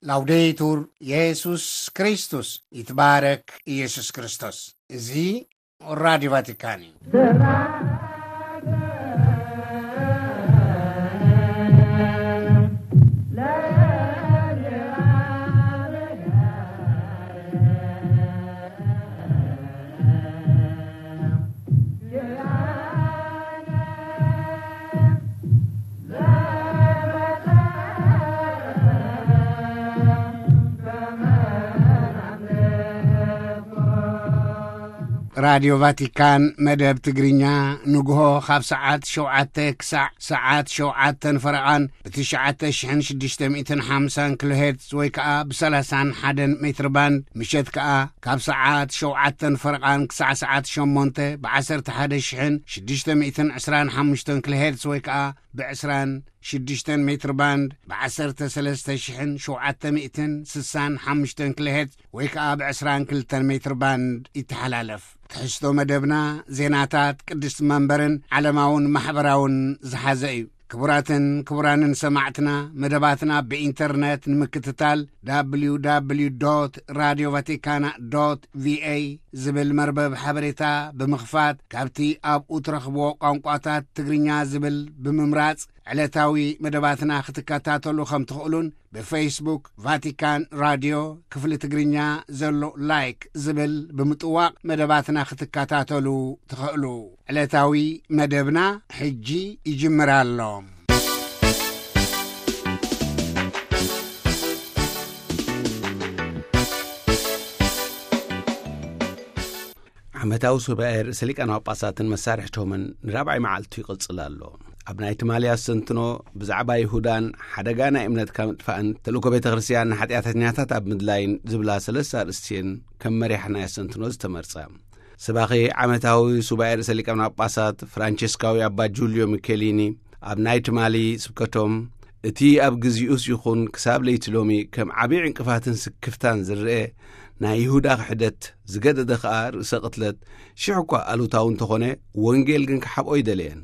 ላውዴቱር የሱስ ክርስቶስ፣ ይትባረክ ኢየሱስ ክርስቶስ። እዚ ራዲዮ ቫቲካን እዩ። ራዲዮ ቫቲካን መደብ ትግርኛ ንግሆ ካብ ሰዓት ሸውዓተ ክሳዕ ሰዓት ሸውዓተን ፈረቓን ብትሽዓተ ሽሕን ሽዱሽተ ሚእትን ሓምሳን ኪሎ ሄርትዝ ወይ ከኣ ብሰላሳን ሓደን ሜትር ባንድ፣ ምሸት ከኣ ካብ ሰዓት ሸውዓተን ፈረቓን ክሳዕ ሰዓት ሸሞንተ ብዓሰርተ ሓደ ሽሕን ሽዱሽተ ሚእትን ዕስራን ሓሙሽተን ኪሎ ሄርትዝ ወይ ከኣ ብዕስራን ሽዱሽተን ሜትር ባንድ ብዓሰርተ ሰለስተ ሽሕን ሸውዓተ ሚእትን ስሳን ሓሙሽተን ኪሎ ሄርትዝ ወይ ከኣ ብዕስራን ክልተን ሜትር ባንድ ይተሓላለፍ። ትሕዝቶ መደብና ዜናታት ቅድስቲ መንበርን ዓለማውን ማሕበራውን ዝሓዘ እዩ። ክቡራትን ክቡራንን ሰማዕትና፣ መደባትና ብኢንተርነት ንምክትታል፣ www radio vaticana ቪኤ ዝብል መርበብ ሓበሬታ ብምኽፋት፣ ካብቲ ኣብኡ ትረኽብዎ ቋንቋታት ትግርኛ ዝብል ብምምራጽ ዕለታዊ መደባትና ክትከታተሉ ከም ትኽእሉን፣ ብፌስቡክ ቫቲካን ራድዮ ክፍሊ ትግርኛ ዘሎ ላይክ ዝብል ብምጥዋቕ መደባትና ክትከታተሉ ትኽእሉ። ዕለታዊ መደብና ሕጂ ይጅምር ኣሎ። ዓመታዊ ሱባኤ ርእሰ ሊቃነ ጳጳሳትን መሳርሕቶምን ንራብዓይ መዓልቱ ይቕጽል ኣሎ። ኣብ ናይ ትማሊ ኣስተንትኖ ብዛዕባ ይሁዳን ሓደጋ ናይ እምነትካ ምጥፋእን ተልእኮ ቤተ ክርስቲያን ንሓጢኣተኛታት ኣብ ምድላይን ዝብላ ሰለስተ ኣርእስቲ እየን ከም መሪሕ ናይ ኣስተንትኖ ዝተመርጻ። ሰባኺ ዓመታዊ ሱባኤ ርእሰ ሊቃነ ጳጳሳት ፍራንቸስካዊ ኣባ ጁልዮ ሚኬሊኒ ኣብ ናይ ትማሊ ስብከቶም፣ እቲ ኣብ ግዚኡስ ይኹን ክሳብ ለይቲ ሎሚ ከም ዓቢ ዕንቅፋትን ስክፍታን ዝረአ ናይ ይሁዳ ክሕደት ዝገደደ ኸኣ ርእሰ ቅትለት ሽሕ እኳ ኣሉታዊ እንተኾነ፣ ወንጌል ግን ክሓብኦ ኣይደለየን።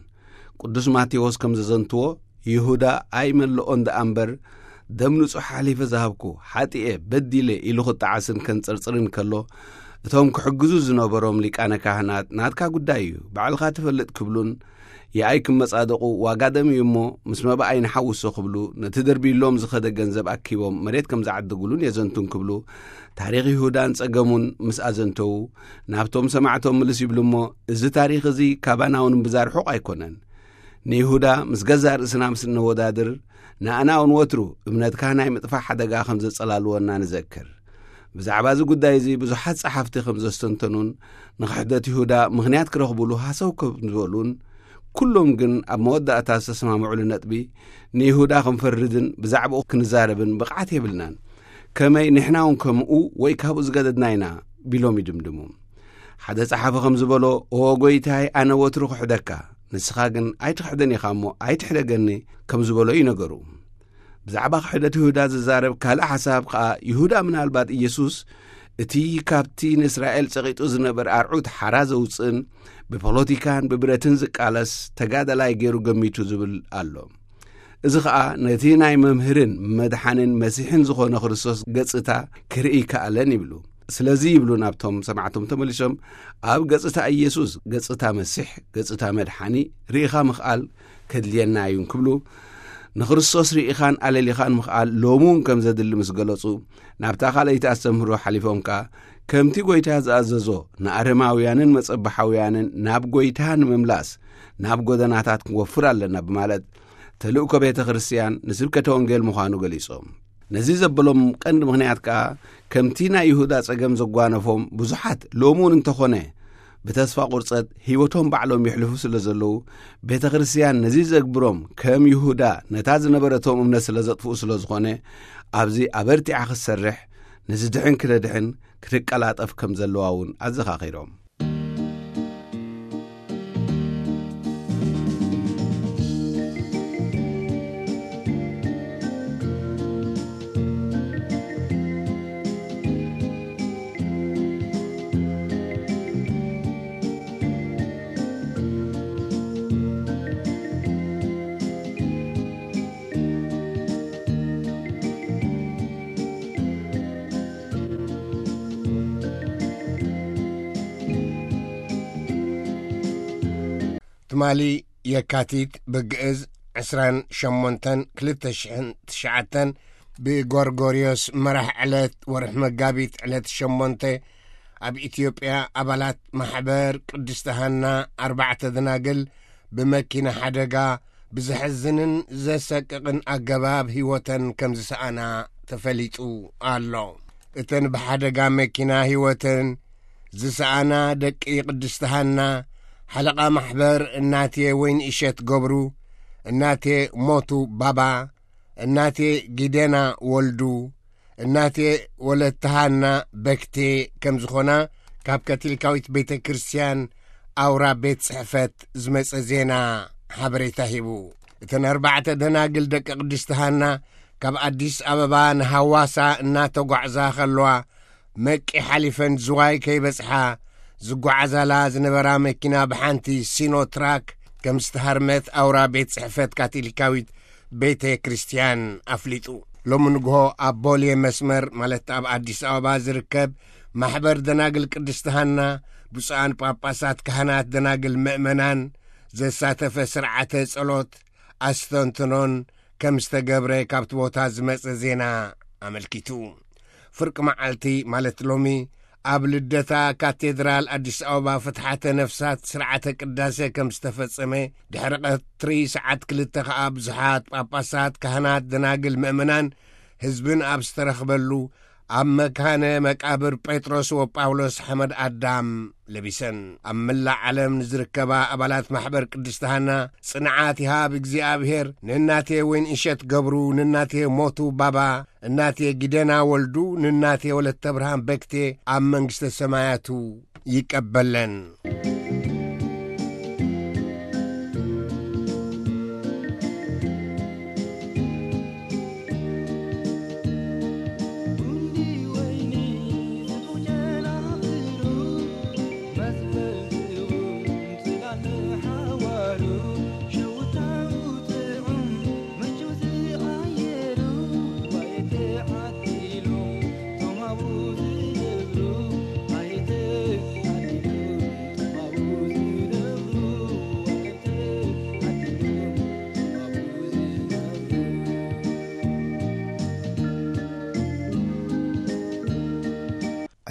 ቅዱስ ማቴዎስ ከም ዘዘንትዎ፣ ይሁዳ ኣይመልኦን ደኣ እምበር፣ ደም ንጹሕ ሓሊፈ ዝሃብኩ፣ ሓጢኤ፣ በዲለ ኢሉ ክጠዓስን ከንጸርጽርን ከሎ፣ እቶም ክሕግዙ ዝነበሮም ሊቃነ ካህናት፣ ናትካ ጉዳይ እዩ፣ ባዕልኻ ትፈልጥ ክብሉን፣ የኣይ ክመጻደቑ ዋጋ ደም እዩ እሞ፣ ምስ መባኣይ ንሓውሶ ክብሉ፣ ነቲ ደርብዩሎም ዝኸደ ገንዘብ ኣኪቦም መሬት ከም ዝዓደጉሉን የዘንቱን ክብሉ፣ ታሪኽ ይሁዳን ጸገሙን ምስ ኣዘንተዉ፣ ናብቶም ሰማዕቶም ምልስ ይብሉ እሞ፣ እዚ ታሪኽ እዚ ካባና እውን እምብዛ ርሑቕ ኣይኮነን። ንይሁዳ ምስ ገዛእ ርእስና ምስ እነወዳድር፣ ንኣና እውን ወትሩ እምነትካ ናይ ምጥፋእ ሓደጋ ከም ዘጸላልወና ንዘክር። ብዛዕባ እዚ ጉዳይ እዚ ብዙሓት ጸሓፍቲ ከም ዘስተንተኑን ንኽሕደት ይሁዳ ምኽንያት ክረኽቡሉ ሃሰው ከም ዝበሉን፣ ኩሎም ግን ኣብ መወዳእታ ዝተሰማምዑሉ ነጥቢ፣ ንይሁዳ ክንፈርድን ብዛዕባኡ ክንዛረብን ብቕዓት የብልናን። ከመይ ንሕና እውን ከምኡ ወይ ካብኡ ዝገደድና ኢና ቢሎም ይድምድሙ። ሓደ ጸሓፊ ከም ዝበሎ፣ "ኦ ጎይታይ፣ ኣነ ወትሩ ክሕደካ፣ ንስኻ ግን ኣይትኽሕደን ኢኻ እሞ ኣይትሕደገኒ" ከም ዝበሎ እዩ ነገሩ። ብዛዕባ ክሕደት ይሁዳ ዝዛረብ ካልእ ሓሳብ ከኣ፣ ይሁዳ ምናልባት ኢየሱስ እቲ ካብቲ ንእስራኤል ጸቒጡ ዝነበረ ኣርዑት ሓራ ዘውጽእን ብፖለቲካን ብብረትን ዝቃለስ ተጋዳላይ ገይሩ ገሚቱ ዝብል ኣሎ። እዚ ኸኣ ነቲ ናይ መምህርን መድሓንን መሲሕን ዝኾነ ክርስቶስ ገጽታ ክርኢ ይከኣለን ይብሉ። ስለዚ ይብሉ ናብቶም ሰማዕቶም ተመሊሶም፣ ኣብ ገጽታ ኢየሱስ ገጽታ መሲሕ፣ ገጽታ መድሓኒ ርኢኻ ምኽኣል ከድልየና እዩ እንክብሉ፣ ንክርስቶስ ርኢኻን ኣለሊኻን ምኽኣል ሎሚ እውን ከም ዘድሊ ምስ ገለጹ፣ ናብታ ካልኣይቲ ኣስተምህሮ ሓሊፎም ከኣ፣ ከምቲ ጐይታ ዝኣዘዞ ንኣረማውያንን መጸባሓውያንን ናብ ጐይታ ንምምላስ ናብ ጐደናታት ክንወፍር ኣለና ብማለት፣ ተልእኮ ቤተ ክርስቲያን ንስብከተ ወንጌል ምዃኑ ገሊጾም። ነዚ ዘበሎም ቀንዲ ምኽንያት ከኣ፣ ከምቲ ናይ ይሁዳ ጸገም ዘጓነፎም ብዙሓት ሎሚ እውን እንተኾነ ብተስፋ ቁርጸት ህይወቶም ባዕሎም የሕልፉ ስለ ዘለዉ፣ ቤተ ክርስቲያን ነዚ ዘግብሮም ከም ይሁዳ ነታ ዝነበረቶም እምነት ስለ ዘጥፍኡ ስለ ዝኾነ፣ ኣብዚ ኣበርቲዓ ክትሰርሕ፣ ንዝድሕን ክነድሕን ክትቀላጠፍ ከም ዘለዋ እውን ኣዘኻኺሮም። ትማሊ የካቲት ብግእዝ ዕስራን ሸሞንተን ክልተ ሽሕን ትሽዓተን፣ ብጎርጎርዮስ መራሕ ዕለት ወርሒ መጋቢት ዕለት ሸሞንተ፣ ኣብ ኢትዮጵያ ኣባላት ማሕበር ቅድስቲ ሃና ኣርባዕተ ደናግል ብመኪና ሓደጋ ብዘሕዝንን ዘሰቅቕን ኣገባብ ህይወተን ከም ዝሰኣና ተፈሊጡ ኣሎ። እተን ብሓደጋ መኪና ህይወተን ዝሰኣና ደቂ ቅድስቲ ሃና፣ ሓለቓ ማሕበር እናቴ ወይን እሸት ገብሩ፣ እናቴ ሞቱ ባባ፣ እናቴ ጊደና ወልዱ፣ እናቴ ወለተ ሃና በክቴ ከም ዝኾና ካብ ካቶሊካዊት ቤተ ክርስቲያን ኣውራ ቤት ጽሕፈት ዝመጸ ዜና ሓበሬታ ሂቡ። እተን ኣርባዕተ ደናግል ደቂ ቅድስቲ ሃና ካብ ኣዲስ ኣበባ ንሃዋሳ እናተጓዕዛ ከለዋ፣ መቂ ሓሊፈን ዝዋይ ከይበጽሓ ዝጓዓዛላ ዝነበራ መኪና ብሓንቲ ሲኖትራክ ከም ዝተሃርመት ኣውራ ቤት ጽሕፈት ካቶሊካዊት ቤተ ክርስቲያን ኣፍሊጡ። ሎሚ ንግሆ ኣብ ቦሌ መስመር፣ ማለት ኣብ ኣዲስ ኣበባ ዝርከብ ማሕበር ደናግል ቅድስቲ ሃና፣ ብፁዓን ጳጳሳት፣ ካህናት፣ ደናግል፣ ምእመናን ዘሳተፈ ስርዓተ ጸሎት ኣስተንትኖን ከም ዝተገብረ ካብቲ ቦታ ዝመጸ ዜና ኣመልኪቱ። ፍርቂ መዓልቲ፣ ማለት ሎሚ፣ ኣብ ልደታ ካቴድራል ኣዲስ ኣበባ ፍትሓተ ነፍሳት ስርዓተ ቅዳሴ ከም ዝተፈጸመ፣ ድሕሪ ቀትሪ ሰዓት ክልተ ከኣ ብዙሓት ጳጳሳት፣ ካህናት፣ ደናግል፣ ምእመናን፣ ህዝብን ኣብ ዝተረኽበሉ፣ ኣብ መካነ መቃብር ጴጥሮስ ወጳውሎስ ሓመድ ኣዳም ለቢሰን። ኣብ መላእ ዓለም ንዝርከባ ኣባላት ማሕበር ቅድስቲ ሃና ጽንዓት ይሃብ እግዚኣብሔር። ንእናቴ ወይን እሸት ገብሩ፣ ንእናቴ ሞቱ ባባ፣ እናቴ ጊደና ወልዱ፣ ንእናቴ ወለተ ብርሃን በክቴ ኣብ መንግስተ ሰማያቱ ይቀበለን።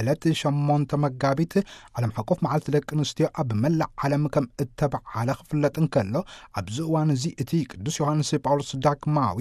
ዕለት ሸሞንተ መጋቢት ዓለም ሓቆፍ መዓልቲ ደቂ ኣንስትዮ ኣብ መላእ ዓለም ከም እተበዓለ ክፍለጥ እንከሎ፣ ኣብዚ እዋን እዚ እቲ ቅዱስ ዮሃንስ ጳውሎስ ዳግማዊ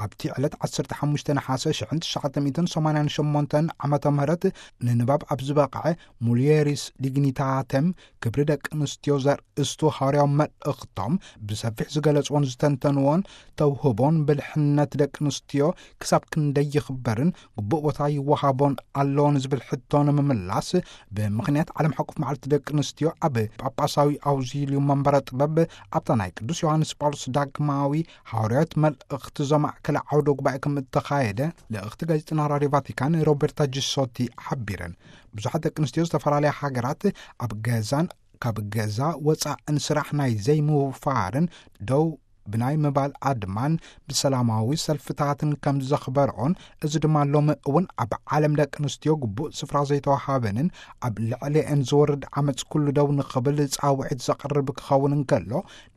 ኣብቲ ዕለት ዓሰርተ ሓሙሽተ ነሓሰ ሽሕን ትሽዓተ ሚእትን ሰማንያን ሸሞንተን ዓመተ ምህረት ንንባብ ኣብ ዝበቕዐ ሙልየሪስ ዲግኒታተም ክብሪ ደቂ ኣንስትዮ ዘርእስቱ ሃዋርያዊ መልእኽቶም ብሰፊሕ ዝገለጽዎን ዝተንተንዎን ተውህቦን ብልሕነት ደቂ ኣንስትዮ ክሳብ ክንደይ ይኽበርን ግቡእ ቦታ ይወሃቦን ኣሎ ንዝብል ሕቶ ንምምላስ፣ ብምኽንያት ዓለም ሓቆፍ መዓልቲ ደቂ ኣንስትዮ ኣብ ጳጳሳዊ ኣውዚልዩ መንበረ ጥበብ ኣብታ ናይ ቅዱስ ዮሃንስ ጳውሎስ ዳግማዊ ሃዋርያዊት መልእኽቲ ዘማእከለ ዓውደ ጉባኤ ከም እተኻየደ ልእኽቲ ጋዜጠና ራድዮ ቫቲካን ሮበርታ ጂሶቲ ሓቢረን። ብዙሓት ደቂ ኣንስትዮ ዝተፈላለያ ሃገራት ኣብ ገዛን ካብ ገዛ ወጻእን ስራሕ ናይ ዘይምውፋርን ደው ብናይ ምባል ኣድማን ብሰላማዊ ሰልፍታትን ከም ዘኽበርኦን፣ እዚ ድማ ሎሚ እውን ኣብ ዓለም ደቂ ኣንስትዮ ግቡእ ስፍራ ዘይተዋሃበንን ኣብ ልዕሊአን ዝወርድ ዓመፅ ኩሉ ደው ንኽብል ጻውዒት ዘቕርብ ክኸውን እንከሎ፣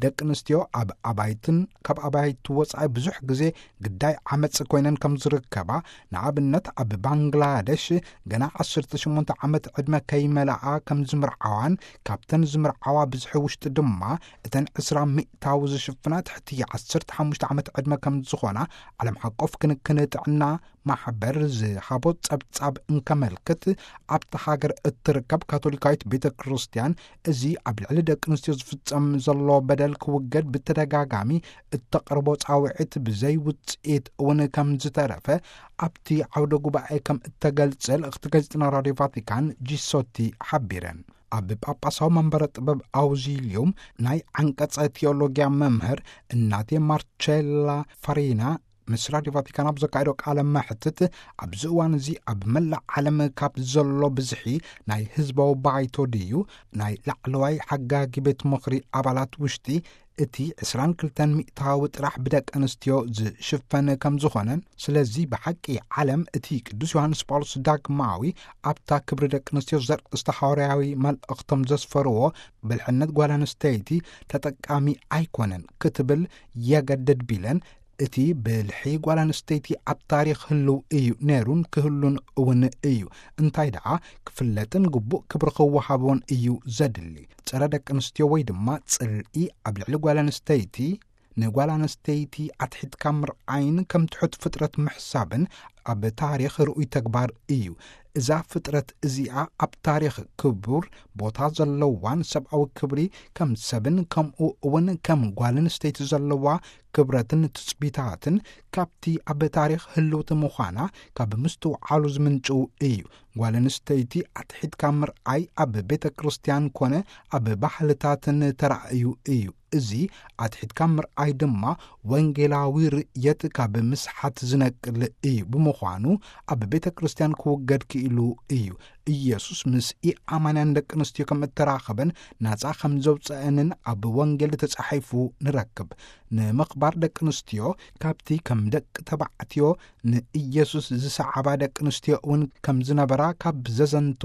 ደቂ ኣንስትዮ ኣብ ኣባይትን ካብ ኣባይቲ ወጻኢ ብዙሕ ግዜ ግዳይ ዓመፅ ኮይነን ከም ዝርከባ፣ ንኣብነት ኣብ ባንግላደሽ ገና ዓሰርተ ሸሞንተ ዓመት ዕድመ ከይመልኣ ከም ዝምርዓዋን፣ ካብተን ዝምርዓዋ ብዝሒ ውሽጢ ድማ እተን ዕስራ ሚእታዊ ዝሽፍና ትሕቲ ዓሰርተ ሓሙሽተ ዓመት ዕድመ ከም ዝኾና ዓለም ሓቆፍ ክንክን ጥዕና ማሕበር ዝሃቦ ጸብጻብ እንከመልክት፣ ኣብታ ሃገር እትርከብ ካቶሊካዊት ቤተ ክርስቲያን እዚ ኣብ ልዕሊ ደቂ ኣንስትዮ ዝፍጸም ዘሎ በደል ክውገድ ብተደጋጋሚ እተቕርቦ ጻውዒት ብዘይ ውጽኢት እውን ከም ዝተረፈ ኣብቲ ዓውደ ጉባኤ ከም እተገልጸ ልእኽቲ ጋዜጠና ራድዮ ቫቲካን ጂሶቲ ሓቢረን። ኣብ ጳጳሳዊ መንበረ ጥበብ ኣውዚልዩም ናይ ዓንቀጸ ቴዎሎጊያ መምህር እናቴ ማርቸላ ፋሪና ምስ ራድዮ ቫቲካን ኣብ ዘካየዶ ቃለ መሕትት፣ ኣብዚ እዋን እዚ ኣብ መላእ ዓለም ካብ ዘሎ ብዝሒ ናይ ህዝባዊ ባይቶ ድዩ፣ ናይ ላዕለዋይ ሓጋጊ ቤት ምኽሪ ኣባላት ውሽጢ እቲ ዕስራን ክልተን ሚእታዊ ጥራሕ ብደቂ ኣንስትዮ ዝሽፈን ከም ዝኾነን፣ ስለዚ ብሓቂ ዓለም እቲ ቅዱስ ዮሃንስ ጳውሎስ ዳግማዊ ኣብታ ክብሪ ደቂ ኣንስትዮ ዘርእስታ ሃዋርያዊ መልእኽቶም ዘስፈርዎ ብልሕነት ጓል ኣንስተይቲ ተጠቃሚ ኣይኮነን ክትብል የገድድ ቢለን፣ እቲ ብልሒ ጓል ኣንስተይቲ ኣብ ታሪኽ ህልው እዩ ነይሩን ክህሉን እውን እዩ። እንታይ ደኣ ክፍለጥን ግቡእ ክብሪ ክወሃቦን እዩ ዘድሊ። ጸረ ደቂ ኣንስትዮ ወይ ድማ ጽልኢ ኣብ ልዕሊ ጓል ኣንስተይቲ፣ ንጓል ኣንስተይቲ ኣትሒትካ ምርኣይን ከም ትሑት ፍጥረት ምሕሳብን ኣብ ታሪኽ ርኡይ ተግባር እዩ። እዛ ፍጥረት እዚኣ ኣብ ታሪኽ ክቡር ቦታ ዘለዋን ሰብኣዊ ክብሪ ከም ሰብን ከምኡ እውን ከም ጓል ኣንስተይቲ ዘለዋ ክብረትን ትጽቢታትን ካብቲ ኣብ ታሪኽ ህልውቲ ምዃና ካብ ምስትውዓሉ ዝምንጭው እዩ። ጓል ኣንስተይቲ ኣትሒትካ ምርኣይ ኣብ ቤተ ክርስቲያን ኮነ ኣብ ባህልታትን ተራእዩ እዩ። እዚ ኣትሒትካ ምርኣይ ድማ ወንጌላዊ ርእየት ካብ ምስሓት ዝነቅል እዩ። ብምዃኑ ኣብ ቤተ ክርስቲያን ክውገድ ክኢሉ እዩ። ኢየሱስ ምስ ኢኣማንያን ደቂ ኣንስትዮ ከም እተራኸበን ናጻ ከም ዘውፀአንን ኣብ ወንጌል ተጻሒፉ ንረክብ። ንምኽባር ደቂ ኣንስትዮ ካብቲ ከም ደቂ ተባዕትዮ ንኢየሱስ ዝሰዓባ ደቂ ኣንስትዮ እውን ከም ዝነበራ ካብ ዘዘንቱ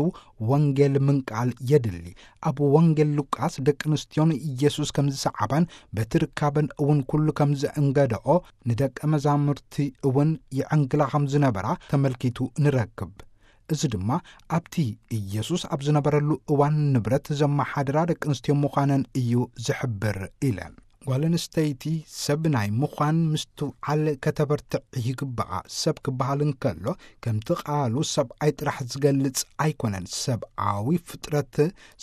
ወንጌል ምንቃል የድሊ። ኣብ ወንጌል ሉቃስ ደቂ ኣንስትዮ ንኢየሱስ ከም ዝሰዓባን በቲ ርካበን እውን ኩሉ ከም ዘእንገደኦ ንደቀ መዛሙርቲ እውን ይዕንግላ ከም ዝነበራ ተመልኪቱ ንረክብ። እዚ ድማ ኣብቲ ኢየሱስ ኣብ ዝነበረሉ እዋን ንብረት ዘመሓድራ ደቂ ኣንስትዮ ምዃነን እዩ ዝሕብር ኢለን። ጓል ኣንስተይቲ ሰብ ናይ ምዃን ምስትውዓል ከተበርትዕ ይግብኣ። ሰብ ክበሃል እንከሎ ከምቲ ቃሉ ሰብኣይ ጥራሕ ዝገልጽ ኣይኮነን። ሰብኣዊ ፍጥረት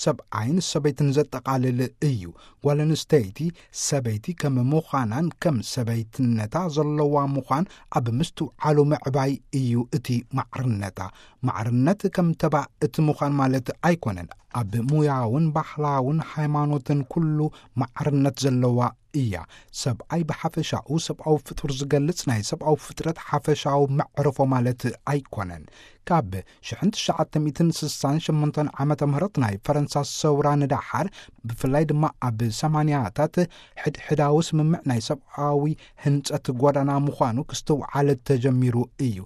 ሰብኣይን ሰበይትን ዘጠቓልል እዩ። ጓል ኣንስተይቲ ሰበይቲ ከም ምዃናን ከም ሰበይትነታ ዘለዋ ምዃን ኣብ ምስትውዓሉ ምዕባይ እዩ እቲ ማዕርነታ። ማዕርነት ከም ተባእቲ ምዃን ማለት ኣይኮነን። ኣብ ሙያውን ባህላውን ሃይማኖትን ኩሉ ማዕርነት ዘለዋ እያ። ሰብኣይ ብሓፈሻኡ ሰብኣዊ ፍጡር ዝገልጽ ናይ ሰብኣዊ ፍጥረት ሓፈሻዊ መዕርፎ ማለት ኣይኮነን። ካብ ሽሕን ትሽዓተ ሚእትን ስሳን ሸሞንተን ዓመተ ምህረት ናይ ፈረንሳ ሰውራ ንደሓር፣ ብፍላይ ድማ ኣብ ሰማንያታት፣ ሕድሕዳዊ ስምምዕ ናይ ሰብኣዊ ህንጸት ጎዳና ምዃኑ ክስትውዓል ተጀሚሩ እዩ።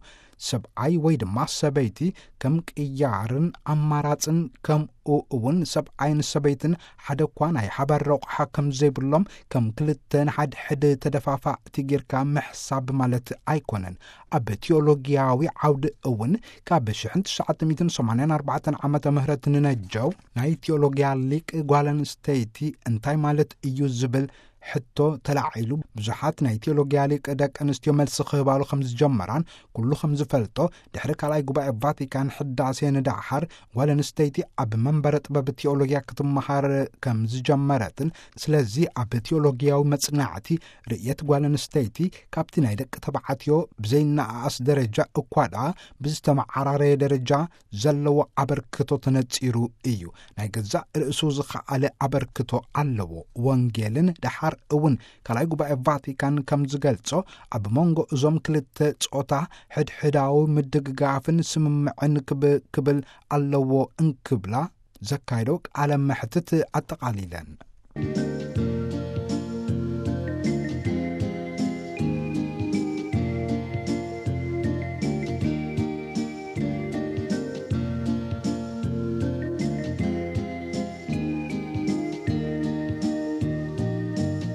ሰብኣይ ወይ ድማ ሰበይቲ ከም ቅያርን ኣማራጽን፣ ከምኡ እውን ሰብኣይን ሰበይትን ሓደ እኳ ናይ ሓባር ረቑሓ ከም ዘይብሎም፣ ከም ክልተ ንሓድሕድ ተደፋፋእቲ ጌርካ ምሕሳብ ማለት ኣይኮነን። ኣብ ቲዮሎጊያዊ ዓውዲ እውን ካብ ሽሕን ትሽዓተ ሚእትን ሰማንያን ኣርባዕተን ዓመተ ምህረት ንነጀው ናይ ቲዮሎጊያ ሊቅ ጓል ኣንስተይቲ እንታይ ማለት እዩ ዝብል ሕቶ ተላዒሉ፣ ብዙሓት ናይ ቲዮሎጊያ ሊቅ ደቂ ኣንስትዮ መልሲ ክህባሉ ከም ዝጀመራን፣ ኩሉ ከም ዝፈልጦ ድሕሪ ካልኣይ ጉባኤ ቫቲካን ሕዳሴ ንደሓር ጓል ኣንስተይቲ ኣብ መንበረ ጥበብ ቲዮሎጊያ ክትመሃር ከም ዝጀመረትን፣ ስለዚ ኣብ ቲዮሎጊያዊ መጽናዕቲ ርእየት ጓል ኣንስተይቲ ካብቲ ናይ ደቂ ተባዕትዮ ብዘይነኣኣስ ደረጃ እኳ ደኣ ብዝተመዓራረየ ደረጃ ዘለዎ ኣበርክቶ ተነጺሩ እዩ። ናይ ገዛእ ርእሱ ዝኸኣለ ኣበርክቶ ኣለዎ። ወንጌልን ደሓር እውን ካልኣይ ጉባኤ ቫቲካን ከም ዝገልጾ፣ ኣብ መንጎ እዞም ክልተ ጾታ ሕድሕዳዊ ምድግጋፍን ስምምዕን ክብ-፣ ክብል ኣለዎ እንክብላ ዘካየዶ ቃለ መሕትት ኣጠቓሊለን።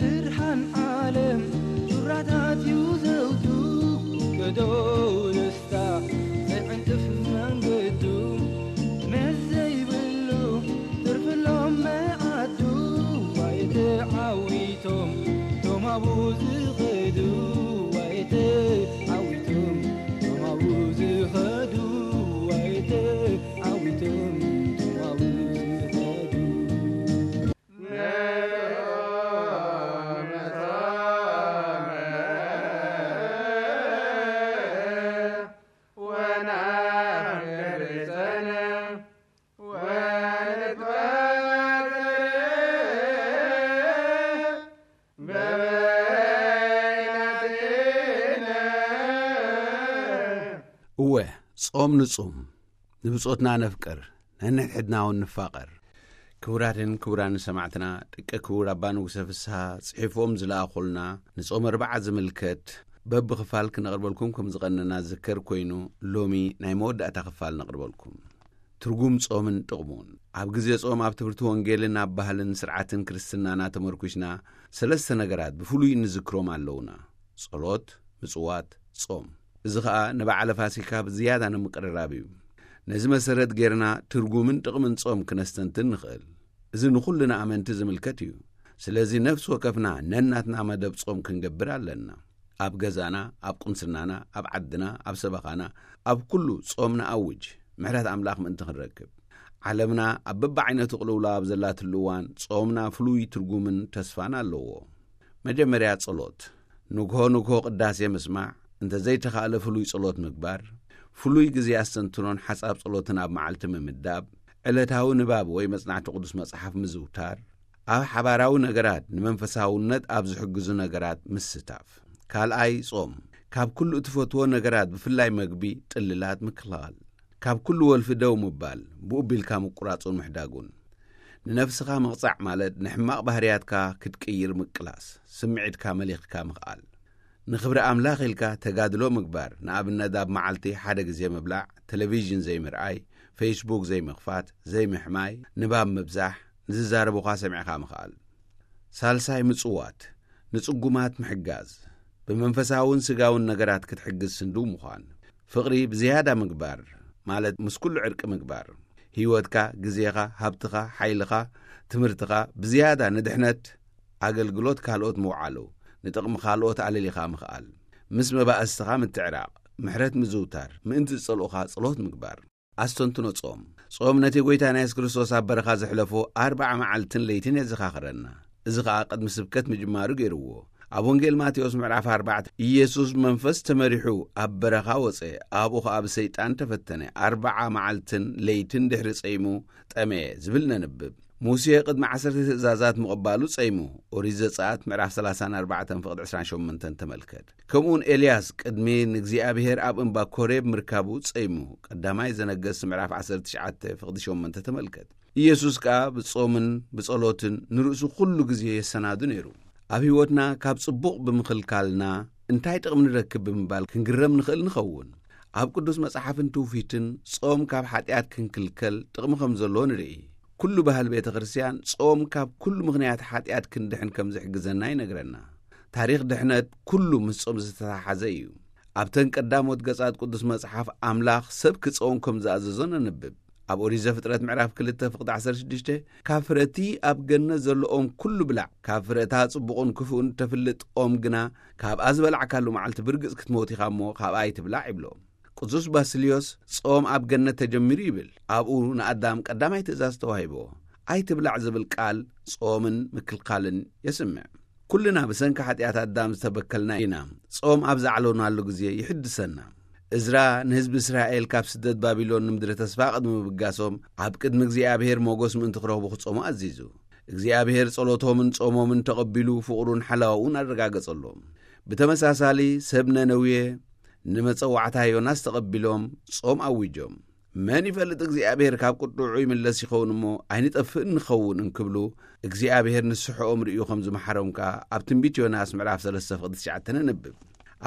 ብርሃን ዓለም ጩራታት እዩ ዘውቱ፣ ገዶ ንስታ ዘይዕንቅፍ መንገዱ፣ መስ ዘይብሉ ትርፍሎም መዓዱ። ዋይ ተዓዊቶም ቶም ኣብኡ ዝኸዱ፣ ዋይ ተዓዊቶም ቶም ኣብኡ ዝኸዱ፣ ዋይ ተዓዊቶም ቶም ኣብኡ ዝኸዱ። ጾም ንጹም፣ ንብጾትና ነፍቅር፣ ነንሕድሕድና እውን ንፋቐር። ክቡራትን ክቡራን ሰማዕትና፣ ደቂ ክቡር ኣባ ንጉሰ ፍስሃ ጽሒፎም ዝለኣኹልና ንጾም ኣርብዓ ዝምልከት በብኽፋል ክነቕርበልኩም ከም ዝቐነና ዝዝከር ኮይኑ፣ ሎሚ ናይ መወዳእታ ክፋል ነቕርበልኩም። ትርጉም ጾምን ጥቕሙን። ኣብ ግዜ ጾም ኣብ ትምህርቲ ወንጌልን ኣብ ባህልን ስርዓትን ክርስትናና ተመርኩስና ሰለስተ ነገራት ብፍሉይ ንዝክሮም ኣለውና። ጸሎት፣ ምጽዋት፣ ጾም። እዚ ኸኣ ንበዓለ ፋሲካ ብዝያዳ ንምቅርራብ እዩ። ነዚ መሰረት ጌርና ትርጉምን ጥቕምን ጾም ክነስተንትን ንኽእል። እዚ ንኹልና ኣመንቲ ዝምልከት እዩ። ስለዚ ነፍሲ ወከፍና ነናትና መደብ ጾም ክንገብር ኣለና። ኣብ ገዛና፣ ኣብ ቁንስናና፣ ኣብ ዓድና፣ ኣብ ሰበኻና፣ ኣብ ኩሉ ጾም ንኣውጅ፣ ምሕረት ኣምላኽ ምእንቲ ክንረክብ። ዓለምና ኣብ በብዓይነቱ ቅልውላው ኣብ ዘላትሉ እዋን፣ ጾምና ፍሉይ ትርጉምን ተስፋን ኣለዎ። መጀመርያ ጸሎት። ንግሆ ንግሆ ቅዳሴ ምስማዕ፣ እንተ ዘይተኻእለ ፍሉይ ጸሎት ምግባር፣ ፍሉይ ግዜ ኣስተንትኖን ሓጻብ ጸሎትን ኣብ መዓልቲ ምምዳብ፣ ዕለታዊ ንባብ ወይ መጽናዕቲ ቅዱስ መጽሓፍ ምዝውታር፣ ኣብ ሓባራዊ ነገራት ንመንፈሳውነት ኣብ ዝሕግዙ ነገራት ምስታፍ። ካልኣይ ጾም፣ ካብ ኩሉ እትፈትዎ ነገራት ብፍላይ መግቢ፣ ጥልላት ምክልኻል። ካብ ኩሉ ወልፊ ደው ምባል፣ ብኡ ቢልካ ምቁራጹን ምሕዳጉን። ንነፍስኻ ምቕጻዕ ማለት ንሕማቕ ባህርያትካ ክትቅይር ምቅላስ፣ ስምዒትካ መሊኽካ ምኽኣል። ንኽብሪ ኣምላኽ ኢልካ ተጋድሎ ምግባር፣ ንኣብነት ኣብ መዓልቲ ሓደ ግዜ ምብላዕ፣ ቴሌቪዥን ዘይምርኣይ፣ ፌስቡክ ዘይምኽፋት፣ ዘይምሕማይ፣ ንባብ ምብዛሕ፣ ንዝዛረቡኻ ሰሚዕኻ ምኽኣል። ሳልሳይ ምጽዋት፣ ንጽጉማት ምሕጋዝ፣ ብመንፈሳውን ስጋውን ነገራት ክትሕግዝ ስንድው ምዃን። ፍቕሪ ብዝያዳ ምግባር፣ ማለት ምስ ኩሉ ዕርቂ ምግባር። ህይወትካ፣ ግዜኻ፣ ሃብትኻ፣ ሓይልኻ፣ ትምህርትኻ ብዝያዳ ንድሕነት ኣገልግሎት ካልኦት ምውዓሉ፣ ንጥቕሚ ካልኦት ኣለሊኻ ምኽኣል። ምስ መባእስትኻ ምትዕራቕ፣ ምሕረት ምዝውታር፣ ምእንቲ ዝጸልኡኻ ጸሎት ምግባር። ኣስተንትኖ ጾም። ጾም ነቲ ጐይታና የሱስ ክርስቶስ ኣብ በረኻ ዘሕለፎ ኣርብዓ መዓልትን ለይትን የዘኻኽረና። እዚ ኸኣ ቅድሚ ስብከት ምጅማሩ ገይርዎ። ኣብ ወንጌል ማቴዎስ ምዕራፍ ኣርባዕተ፣ ኢየሱስ ብመንፈስ ተመሪሑ ኣብ በረኻ ወጸ፣ ኣብኡ ኸኣ ብሰይጣን ተፈተነ። ኣርብዓ መዓልትን ለይትን ድሕሪ ጸይሙ ጠመየ ዝብል ነንብብ። ሙሴ ቅድሚ ዓሰርተ ትእዛዛት ምቕባሉ ጸይሙ። ኦሪት ዘጸኣት ምዕራፍ ሰላሳን ኣርባዕተን ፍቕዲ ዕስራን ሸሞንተን ተመልከት። ከምኡውን ኤልያስ ቅድሚ ንእግዚኣብሔር ኣብ እምባ ኮሬብ ምርካቡ ጸይሙ። ቀዳማይ ዘነገስት ምዕራፍ ዓሰርተ ትሽዓተ ፍቕዲ ሸሞንተ ተመልከት። ኢየሱስ ከኣ ብጾምን ብጸሎትን ንርእሱ ኩሉ ግዜ የሰናዱ ነይሩ። ኣብ ህይወትና ካብ ጽቡቕ ብምኽልካልና እንታይ ጥቕሚ ንረክብ ብምባል ክንግረም ንኽእል ንኸውን። ኣብ ቅዱስ መጽሓፍን ትውፊትን ጾም ካብ ሓጢኣት ክንክልከል ጥቕሚ ከም ዘለዎ ንርኢ። ኩሉ ባህል ቤተ ክርስቲያን ጾም ካብ ኩሉ ምኽንያት ሓጢኣት ክንድሕን ከም ዝሕግዘና ይነግረና። ታሪኽ ድሕነት ኩሉ ምስ ጾም ዝተተሓሓዘ እዩ። ኣብተን ቀዳሞት ገጻት ቅዱስ መጽሓፍ ኣምላኽ ሰብ ክጸውም ከም ዝኣዘዞ ነንብብ። ኣብ ኦሪት ዘፍጥረት ምዕራፍ ክልተ ፍቕዲ ዓሰርተ ሽዱሽተ፣ "ካብ ፍረቲ ኣብ ገነት ዘለኦም ኩሉ ብላዕ፣ ካብ ፍረታ ጽቡቕን ክፉእን ተፍልጥ ኦም ግና ካብኣ ዝበላዕካሉ መዓልቲ ብርግጽ ክትሞት ኢኻ እሞ ካብኣ ኣይትብላዕ" ይብሎ። ቅዱስ ባስልዮስ ጾም ኣብ ገነት ተጀሚሩ ይብል። ኣብኡ ንኣዳም ቀዳማይ ትእዛዝ ተዋሂብዎ፣ "ኣይትብላዕ" ዝብል ቃል ጾምን ምክልካልን የስምዕ። ኩልና ብሰንኪ ሓጢኣት ኣዳም ዝተበከልና ኢና። ጾም ኣብ ዝዓለናሉ ግዜ ይሕድሰና። እዝራ ንህዝቢ እስራኤል ካብ ስደት ባቢሎን ንምድሪ ተስፋ ቅድሚ ምብጋሶም፣ ኣብ ቅድሚ እግዚኣብሔር ሞገስ ምእንቲ ክረኽቡ ክጾሙ ኣዚዙ። እግዚኣብሔር ጸሎቶምን ጾሞምን ተቐቢሉ፣ ፍቕሩን ሓላውኡን ኣረጋገጸሎም። ብተመሳሳሊ፣ ሰብ ነነዌ ንመጸዋዕታ ዮናስ ተቐቢሎም ጾም ኣዊጆም። መን ይፈልጥ እግዚኣብሔር ካብ ቁጥዑ ይምለስ ይኸውን እሞ ኣይንጠፍእን ንኸውን እንክብሉ እግዚኣብሔር ንስሕኦም ርእዩ ከም ዝመሓሮም ከኣ ኣብ ትንቢት ዮናስ ምዕራፍ ሰለስተ ፍቕዲ ትሽዓተ ነንብብ።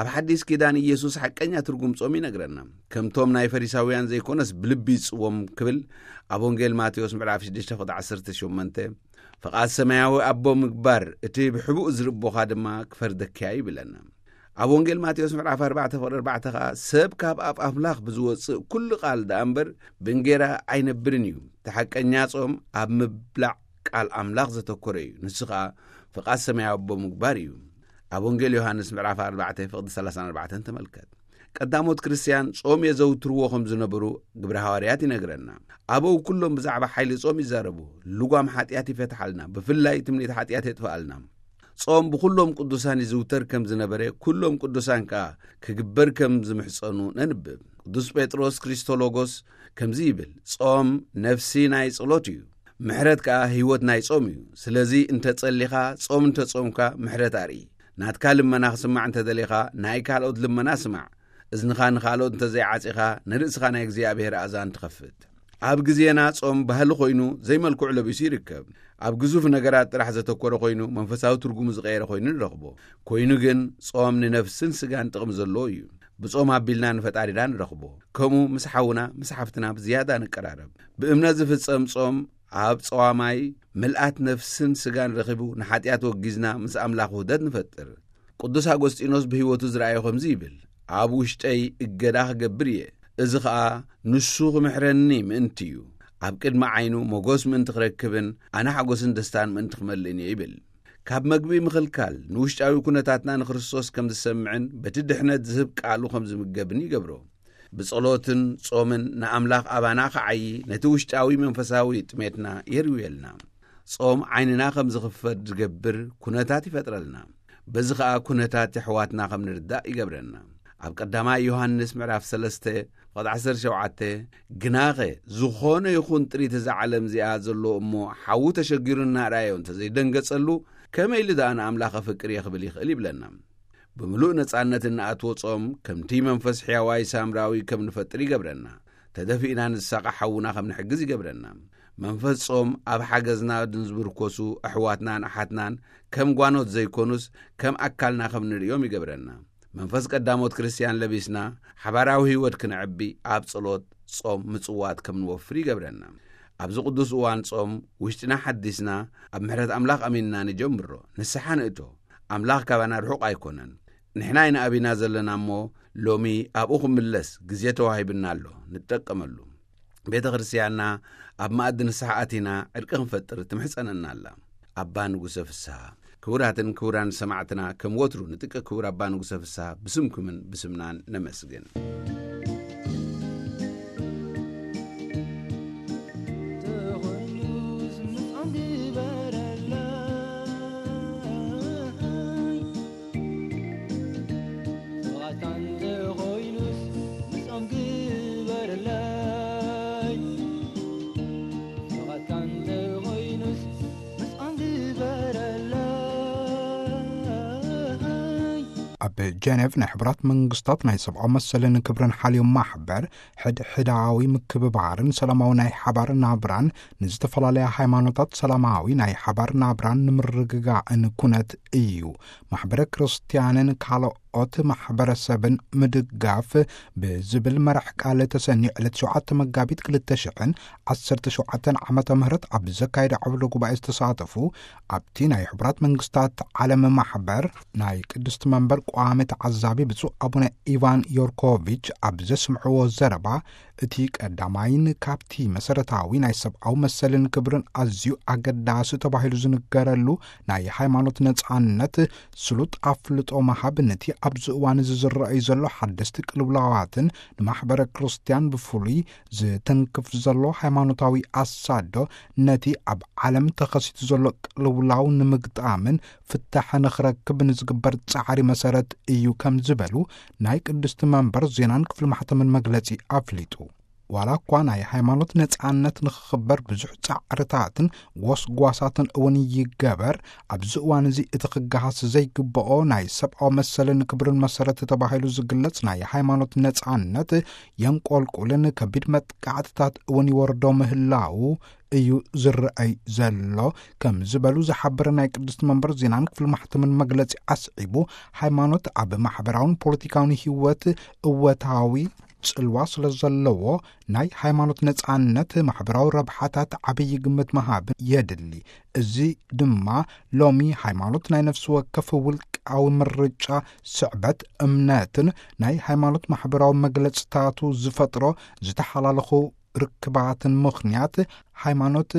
ኣብ ሓዲስ ኪዳን ኢየሱስ ሓቀኛ ትርጉም ጾም ይነግረና። ከምቶም ናይ ፈሪሳውያን ዘይኮነስ ብልቢ ይጽዎም ክብል ኣብ ወንጌል ማቴዎስ ምዕራፍ ሽዱሽተ ፍቕዲ ዓሰርተ ሸሞንተ፣ "ፍቓድ ሰማያዊ ኣቦ ምግባር እቲ ብሕቡእ ዝርቦኻ ድማ ክፈርደኪያ" ይብለና። ኣብ ወንጌል ማቴዎስ ምዕራፍ ኣርባዕተ ፍቕዲ ኣርባዕተ ኸኣ፣ "ሰብ ካብ ኣፍ ኣምላኽ ብዝወጽእ ኩሉ ቃል ደኣ እምበር ብእንጌራ ኣይነብርን እዩ። እቲ ሓቀኛ ጾም ኣብ ምብላዕ ቃል ኣምላኽ ዘተኮረ እዩ። ንሱ ኸኣ ፍቓድ ሰማያዊ ኣቦ ምግባር እዩ።" ኣብ ወንጌል ዮሃንስ ምዕራፍ ኣርባዕተ ፍቕዲ ሰላሳን ኣርባዕተን ተመልከት። ቀዳሞት ክርስትያን ጾም የዘውትርዎ ከም ዝነበሩ ግብረ ሃዋርያት ይነግረና። ኣበው ኩሎም ብዛዕባ ሓይሊ ጾም ይዛረቡ። ልጓም ሓጢኣት ይፈትሓልና፣ ብፍላይ ትምኒት ሓጢኣት የጥፍኣልና። ጾም ብኹሎም ቅዱሳን ይዝውተር ከም ዝነበረ፣ ኩሎም ቅዱሳን ከኣ ክግበር ከም ዝምሕጸኑ ነንብብ። ቅዱስ ጴጥሮስ ክሪስቶሎጎስ ከምዚ ይብል፣ "ጾም ነፍሲ ናይ ጸሎት እዩ፣ ምሕረት ከኣ ህይወት ናይ ጾም እዩ። ስለዚ እንተ ጸሊኻ፣ ጾም እንተ ጾምካ፣ ምሕረት ኣርኢ። ናትካ ልመና ክስማዕ እንተ ደሊኻ፣ ናይ ካልኦት ልመና ስማዕ። እዝንኻ ንኻልኦት እንተዘይዓጺኻ፣ ንርእስኻ ናይ እግዚኣብሔር ኣእዛን ትኸፍት። ኣብ ግዜና ጾም ባህሊ ኮይኑ ዘይመልክዑ ለቢሱ ይርከብ። ኣብ ግዙፍ ነገራት ጥራሕ ዘተኮረ ኮይኑ መንፈሳዊ ትርጉሙ ዝቐየረ ኮይኑ ንረኽቦ። ኮይኑ ግን ጾም ንነፍስን ስጋን ጥቕሚ ዘለዎ እዩ። ብጾም ኣቢልና ንፈጣሪና ንረኽቦ። ከምኡ ምስ ሓውና ምስ ሓፍትና ብዝያዳ ንቀራረብ። ብእምነት ዝፍጸም ጾም ኣብ ጸዋማይ ምልኣት ነፍስን ስጋን ረኺቡ ንሓጢኣት ወጊዝና ምስ ኣምላኽ ውህደት ንፈጥር። ቅዱስ ኣጎስጢኖስ ብህይወቱ ዝረኣዮ ከምዚ ይብል፣ "ኣብ ውሽጠይ እገዳ ክገብር እየ፣ እዚ ኸኣ ንሱ ክምሕረኒ ምእንቲ እዩ። ኣብ ቅድሚ ዓይኑ ሞጎስ ምእንቲ ክረክብን ኣነ ሓጎስን ደስታን ምእንቲ ክመልእን እየ" ይብል። ካብ መግቢ ምኽልካል ንውሽጣዊ ኩነታትና ንክርስቶስ ከም ዝሰምዕን በቲ ድሕነት ዝህብ ቃሉ ከም ዝምገብን ይገብሮ። ብጸሎትን ጾምን ንኣምላኽ ኣባና ክዓዪ፣ ነቲ ውሽጣዊ መንፈሳዊ ጥሜትና የርውየልና። ጾም ዓይንና ከም ዝኽፈት ዝገብር ኩነታት ይፈጥረልና። በዚ ኸኣ ኩነታት የሕዋትና ከም ንርዳእ ይገብረና። ኣብ ቀዳማይ ዮሃንስ ምዕራፍ ሰለስተ ፍቕዲ ዓሰርተ ሸውዓተ፣ "ግናኸ ዝኾነ ይኹን ጥሪት እዛ ዓለም እዚኣ ዘሎ እሞ ሓዉ ተሸጊሩ እናርኣዮ እንተዘይደንገጸሉ፣ ከመይ ኢሉ ደኣ ንኣምላኽ ኣፍቅር እየ ክብል ይኽእል?" ይብለና። ብምሉእ ነጻነት እንኣትዎ ጾም፣ ከምቲ መንፈስ ሕያዋይ ሳምራዊ ከም ንፈጥር ይገብረና። ተደፊእና ንሳቐ ሓውና ከም ንሕግዝ ይገብረና። መንፈስ ጾም ኣብ ሓገዝና ንዝምርኮሱ ኣሕዋትናን ኣሓትናን ከም ጓኖት ዘይኮኑስ ከም ኣካልና ከም ንርእዮም ይገብረና። መንፈስ ቀዳሞት ክርስትያን ለቢስና ሓባራዊ ህይወት ክነዕቢ ኣብ ጸሎት፣ ጾም፣ ምጽዋት ከም ንወፍር ይገብረና። ኣብዚ ቅዱስ እዋን ጾም ውሽጥና ሓዲስና ኣብ ምሕረት ኣምላኽ ኣሚንና ንጀምሮ። ንስሓ ንእቶ። ኣምላኽ ካባና ርሑቕ ኣይኮነን። ንሕና ኢና ኣቢና ዘለና እሞ ሎሚ ኣብኡ ክምለስ ግዜ ተዋሂብና ኣሎ፣ ንጠቀመሉ። ቤተ ክርስትያንና ኣብ መኣዲ ንስሓ ኣቲና ዕርቂ ክንፈጥር ትምሕጸነና ኣላ። ኣባ ንጉሰ ፍስሃ። ክቡራትን ክቡራን ሰማዕትና፣ ከም ወትሩ ንጥቀ ክቡር ኣባ ንጉሰ ፍስሃ ብስምኩምን ብስምናን ነመስግን። ተኾይኑስ ምጻን ግበረለይ፣ ፍቓድካ እንተኾይኑስ ምጻን ግበረለይ፣ ፍቓድካ እንተኾይኑስ ምጻን ግበረለይ። ኣብ ጀኔቭ ናይ ሕቡራት መንግስታት ናይ ሰብኣዊ መሰልን ክብርን ሓልዮ ማሕበር ሕድሕዳዊ ምክብባርን ሰላማዊ ናይ ሓባር ናብራን ንዝተፈላለያ ሃይማኖታት ሰላማዊ ናይ ሓባር ናብራን ንምርግጋእን ኩነት እዩ። ማሕበረ ክርስትያንን ካልኦት ማሕበረሰብን ምድጋፍ ብዝብል መራሕ ቃል ተሰንዩ ዕለት ሸውዓተ መጋቢት ክልተ ሽሕን ዓሰርተ ሸውዓተን ዓመተ ምህረት ኣብ ዘካየደ ዓውደ ጉባኤ ዝተሳተፉ ኣብቲ ናይ ሕቡራት መንግስታት ዓለም ማሕበር ናይ ቅድስቲ መንበር ቋሚ ተዓዛቢ ብፁዕ ኣቡነ ኢቫን ዮርኮቪች ኣብ ዘስምዕዎ ዘረባ፣ እቲ ቀዳማይን ካብቲ መሰረታዊ ናይ ሰብኣዊ መሰልን ክብርን ኣዝዩ ኣገዳሲ ተባሂሉ ዝንገረሉ ናይ ሃይማኖት ነጻነት ስሉጥ ኣፍልጦ ምሃብ፣ ነቲ ኣብዚ እዋን እዚ ዝረኣዩ ዘሎ ሓደስቲ ቅልውላዋትን ንማሕበረ ክርስትያን ብፍሉይ ዝትንክፍ ዘሎ ሃይማኖታዊ ኣሳዶ፣ ነቲ ኣብ ዓለም ተኸሲቱ ዘሎ ቅልውላው ንምግጣምን ፍታሕ ንኽረክብ ንዝግበር ጻዕሪ መሰረት እዩ ከም ዝበሉ ናይ ቅድስቲ መንበር ዜናን ክፍሊ ማሕተምን መግለጺ ኣፍሊጡ። ዋላ እኳ ናይ ሃይማኖት ነጻነት ንኽኽበር ብዙሕ ጻዕርታትን ጎስጓሳትን እውን ይገበር፣ ኣብዚ እዋን እዚ እቲ ክገሃስ ዘይግብኦ ናይ ሰብኣዊ መሰልን ክብርን መሰረት ተባሂሉ ዝግለጽ ናይ ሃይማኖት ነጻነት የንቆልቁልን ከቢድ መጥቃዕትታት እውን ይወርዶ ምህላው እዩ ዝረኣይ ዘሎ ከም ዝበሉ ዝሓበረ ናይ ቅድስቲ መንበር ዜናን ክፍሊ ማሕተምን መግለጺ ኣስዒቡ፣ ሃይማኖት ኣብ ማሕበራውን ፖለቲካውን ህይወት እወታዊ ጽልዋ ስለ ዘለዎ ናይ ሃይማኖት ነጻነት ማሕበራዊ ረብሓታት ዓብዪ ግምት ምሃብ የድሊ። እዚ ድማ ሎሚ ሃይማኖት ናይ ነፍሲ ወከፍ ውልቃዊ ምርጫ፣ ስዕበት፣ እምነትን ናይ ሃይማኖት ማሕበራዊ መግለጽታቱ ዝፈጥሮ ዝተሓላለኹ ርክባትን ምኽንያት ሃይማኖት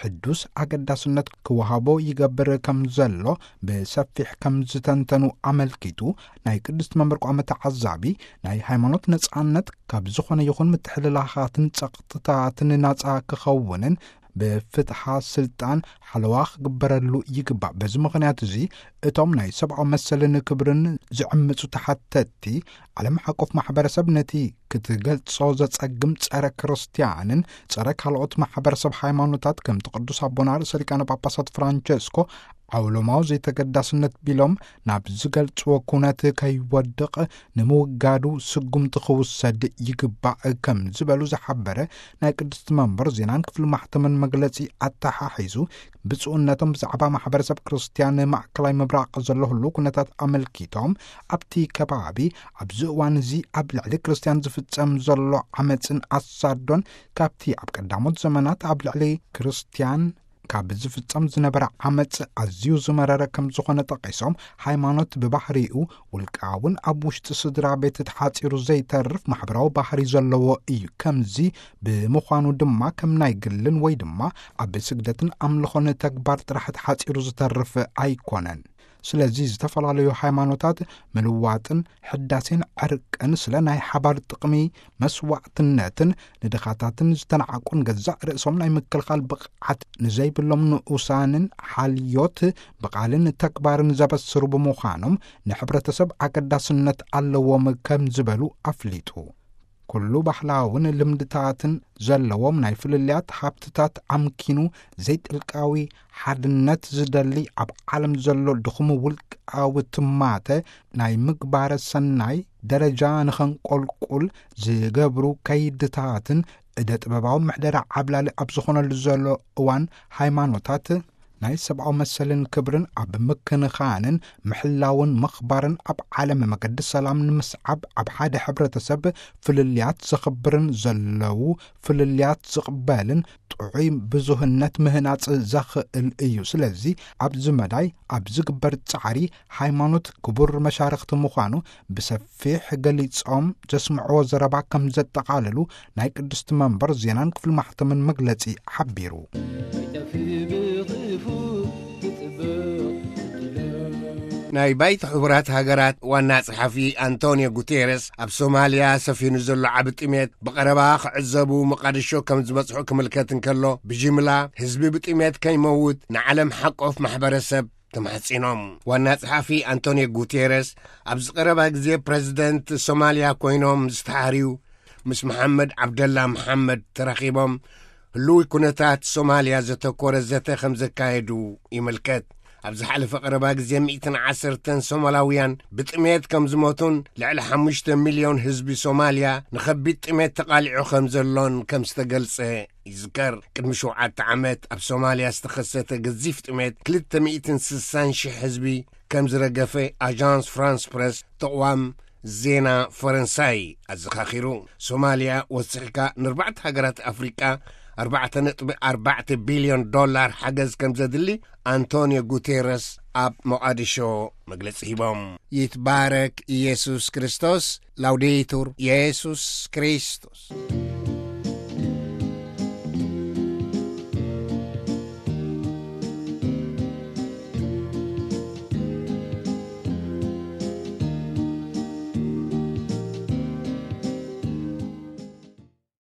ሕዱስ ኣገዳስነት ክወሃቦ ይገብር ከም ዘሎ ብሰፊሕ ከም ዝተንተኑ ኣመልኪቱ፣ ናይ ቅድስቲ መንበር ቋሚ ተዓዛቢ ናይ ሃይማኖት ነጻነት ካብ ዝኾነ ይኹን ምትሕልላኻትን ጸቕጥታትን ናጻ ክኸውንን ብፍትሓ ስልጣን ሓለዋ ክግበረሉ ይግባእ። በዚ ምኽንያት እዚ እቶም ናይ ሰብኣዊ መሰልን ክብርን ዝዕምጹ ተሓተቲ ዓለም ሓቆፍ ማሕበረሰብ ነቲ ክትገልጾ ዘጸግም ጸረ ክርስትያንን ጸረ ካልኦት ማሕበረሰብ ሃይማኖታት ከምቲ ቅዱስ ኣቦና ርእሰ ሊቃነ ጳጳሳት ፍራንቸስኮ ዓውሎማዊ ዘይተገዳስነት ቢሎም ናብ ዝገልጽዎ ኩነት ከይወድቕ ንምውጋዱ ስጉምቲ ክውሰድ ይግባእ ከም ዝበሉ ዝሓበረ ናይ ቅድስቲ መንበር ዜናን ክፍሊ ማሕተምን መግለጺ ኣተሓሒዙ፣ ብፁዕነቶም ብዛዕባ ማሕበረሰብ ክርስትያን ማእከላይ ምብራቕ ዘሎ ህሉ ኩነታት ኣመልኪቶም፣ ኣብቲ ከባቢ ኣብዚ እዋን እዚ ኣብ ልዕሊ ክርስትያን ዝፍጸም ዘሎ ዓመፅን ኣሳዶን፣ ካብቲ ኣብ ቀዳሞት ዘመናት ኣብ ልዕሊ ክርስትያን ካብ ዝፍጸም ዝነበረ ዓመፅ ኣዝዩ ዝመረረ ከም ዝኾነ ጠቒሶም፣ ሃይማኖት ብባህሪኡ ውልቃውን ኣብ ውሽጢ ስድራ ቤት ተሓጺሩ ዘይተርፍ ማሕበራዊ ባህሪ ዘለዎ እዩ። ከምዚ ብምዃኑ ድማ ከም ናይ ግልን ወይ ድማ ኣብ ስግደትን ኣምልኾን ተግባር ጥራሕ ተሓጺሩ ዝተርፍ ኣይኮነን። ስለዚ ዝተፈላለዩ ሃይማኖታት ምልዋጥን ሕዳሴን ዕርቅን ስለ ናይ ሓባር ጥቕሚ መስዋዕትነትን ንድኻታትን ዝተናዓቁን ገዛእ ርእሶም ናይ ምክልኻል ብቕዓት ንዘይብሎም ንኡሳንን ሓልዮት ብቓልን ተግባርን ዘበስሩ ብምዃኖም ንሕብረተሰብ ኣገዳስነት ኣለዎም ከም ዝበሉ ኣፍሊጡ። ኩሉ ባህላውን ልምድታትን ዘለዎም ናይ ፍልልያት ሃብትታት ኣምኪኑ ዘይጥልቃዊ ሓድነት ዝደሊ ኣብ ዓለም ዘሎ ድኹም ውልቃዊ ትማተ ናይ ምግባረ ሰናይ ደረጃ ንኸንቆልቁል ዝገብሩ ከይድታትን እደ ጥበባዊ ምሕደራ ዓብላሊ ኣብ ዝኾነሉ ዘሎ እዋን ሃይማኖታት ናይ ሰብኣዊ መሰልን ክብርን ኣብ ምክንኻንን ምሕላውን ምኽባርን ኣብ ዓለም መገዲ ሰላም ንምስዓብ ኣብ ሓደ ሕብረተሰብ ፍልልያት ዘኽብርን ዘለዉ ፍልልያት ዝቕበልን ጥዑይ ብዙህነት ምህናጽ ዘኽእል እዩ። ስለዚ ኣብዚ መዳይ ኣብ ዝግበር ጻዕሪ ሃይማኖት ክቡር መሻርኽቲ ምዃኑ ብሰፊሕ ገሊጾም ዘስምዕዎ ዘረባ ከም ዘጠቓለሉ ናይ ቅድስቲ መንበር ዜናን ክፍሊ ማሕተምን መግለጺ ሓቢሩ። ናይ ባይት ሕቡራት ሃገራት ዋና ጸሓፊ ኣንቶኒዮ ጉቴረስ ኣብ ሶማልያ ሰፊኑ ዘሎ ዓቢ ጥሜት ብቐረባ ክዕዘቡ መቓድሾ ከም ዝበጽሑ ክምልከት እንከሎ፣ ብጅምላ ህዝቢ ብጥሜት ከይመውት ንዓለም ሓቆፍ ማሕበረሰብ ተማሕጺኖም። ዋና ጸሓፊ ኣንቶኒዮ ጉቴረስ ኣብዚ ቀረባ ግዜ ፕረዚደንት ሶማልያ ኮይኖም ዝተሓርዩ ምስ መሓመድ ዓብደላ መሓመድ ተራኺቦም ህሉዊ ኩነታት ሶማልያ ዘተኮረ ዘተ ከም ዘካየዱ ይምልከት። ኣብ ዝሓለፈ ቀረባ ግዜ ሚእትን ዓሰርተን ሶማላውያን ብጥሜት ከም ዝሞቱን ልዕሊ ሓሙሽተ ሚልዮን ህዝቢ ሶማልያ ንኸቢድ ጥሜት ተቓሊዑ ከም ዘሎን ከም ዝተገልጸ ይዝከር። ቅድሚ ሸውዓተ ዓመት ኣብ ሶማልያ ዝተኸሰተ ገዚፍ ጥሜት ክልተ ሚእትን ስሳን ሽሕ ህዝቢ ከም ዝረገፈ ኣጃንስ ፍራንስ ፕረስ ተቕዋም ዜና ፈረንሳይ ኣዘኻኺሩ። ሶማልያ ወሲኽካ ንኣርባዕተ ሃገራት ኣፍሪቃ ኣርባዕተ ነጥቢ ኣርባዕተ ቢልዮን ዶላር ሓገዝ ከም ዘድሊ ኣንቶኒዮ ጉቴረስ ኣብ ሞቓዲሾ መግለጺ ሂቦም። ይትባረክ ኢየሱስ ክርስቶስ። ላውዴቱር ኢየሱስ ክርስቶስ።